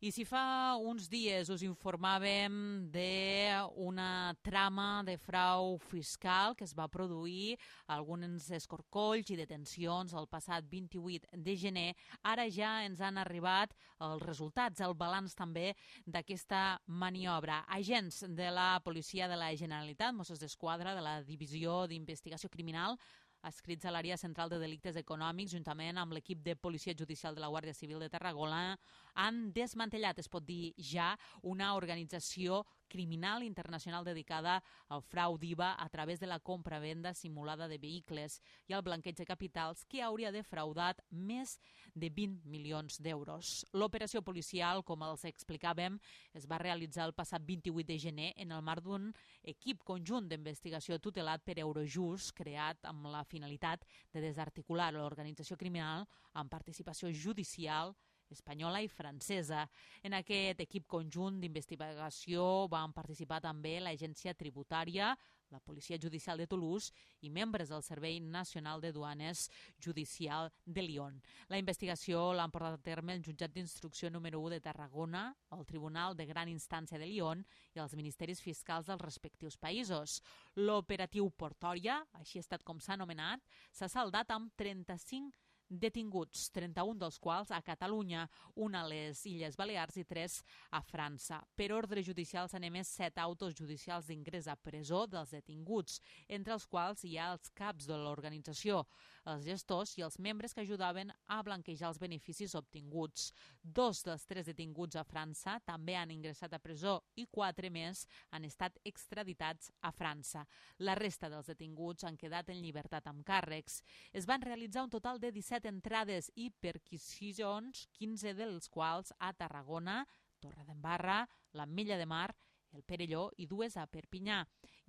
I si fa uns dies us informàvem d'una trama de frau fiscal que es va produir, alguns escorcolls i detencions el passat 28 de gener, ara ja ens han arribat els resultats, el balanç també d'aquesta maniobra. Agents de la Policia de la Generalitat, Mossos d'Esquadra, de la Divisió d'Investigació Criminal, adscrits a l'àrea central de delictes econòmics, juntament amb l'equip de Policia Judicial de la Guàrdia Civil de Tarragona, han desmantellat, es pot dir ja, una organització criminal internacional dedicada al frau d'IVA a través de la compra-venda simulada de vehicles i al blanqueig de capitals que hauria defraudat més de 20 milions d'euros. L'operació policial, com els explicàvem, es va realitzar el passat 28 de gener en el marc d'un equip conjunt d'investigació tutelat per Eurojust, creat amb la finalitat de desarticular l'organització criminal amb participació judicial espanyola i francesa. En aquest equip conjunt d'investigació van participar també l'Agència Tributària, la Policia Judicial de Toulouse i membres del Servei Nacional de Duanes Judicial de Lyon. La investigació l'han portat a terme el Jutjat d'Instrucció número 1 de Tarragona, el Tribunal de Gran Instància de Lyon i els ministeris fiscals dels respectius països. L'operatiu Portòria, així ha estat com s'ha anomenat, s'ha saldat amb 35 detinguts, 31 dels quals a Catalunya, un a les Illes Balears i 3 a França. Per ordre judicial s'han emès 7 autos judicials d'ingrés a presó dels detinguts, entre els quals hi ha els caps de l'organització, els gestors i els membres que ajudaven a blanquejar els beneficis obtinguts. 2 dels 3 detinguts a França també han ingressat a presó i 4 més han estat extraditats a França. La resta dels detinguts han quedat en llibertat amb càrrecs. Es van realitzar un total de 17 entrades i perquisicions, 15 dels quals a Tarragona, Torredembarra, l'Ametlla de Mar, el Perelló i 2 a Perpinyà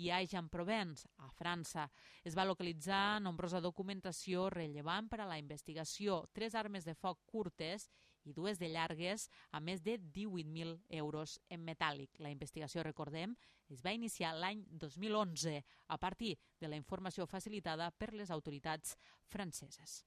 i a Aix-en-Provence, a França. Es va localitzar nombrosa documentació rellevant per a la investigació, 3 armes de foc curtes i 2 de llargues, a més de 18.000 euros en metàl·lic. La investigació, recordem, es va iniciar l'any 2011 a partir de la informació facilitada per les autoritats franceses.